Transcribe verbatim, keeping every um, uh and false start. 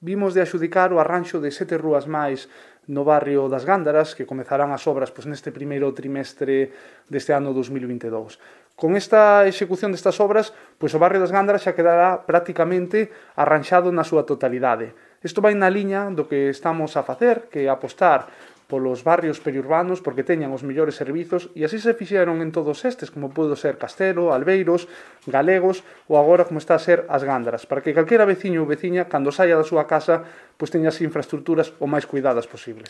vimos de axudicar o arranxo de sete rúas máis no barrio das Gándaras, que comezarán as obras pois, neste primeiro trimestre deste ano dos mil vinte e dous. Con esta execución destas obras, pois o barrio das Gándaras xa quedará prácticamente arranxado na súa totalidade. Isto vai na liña do que estamos a facer, que é apostar polos barrios periurbanos porque teñan os mellores servizos e así se fixeron en todos estes, como podo ser Castelo, Albeiros, Galegos ou agora como está a ser as Gándaras, para que calquera veciño ou veciña, cando saia da súa casa, pois teña as infraestructuras o máis cuidadas posibles.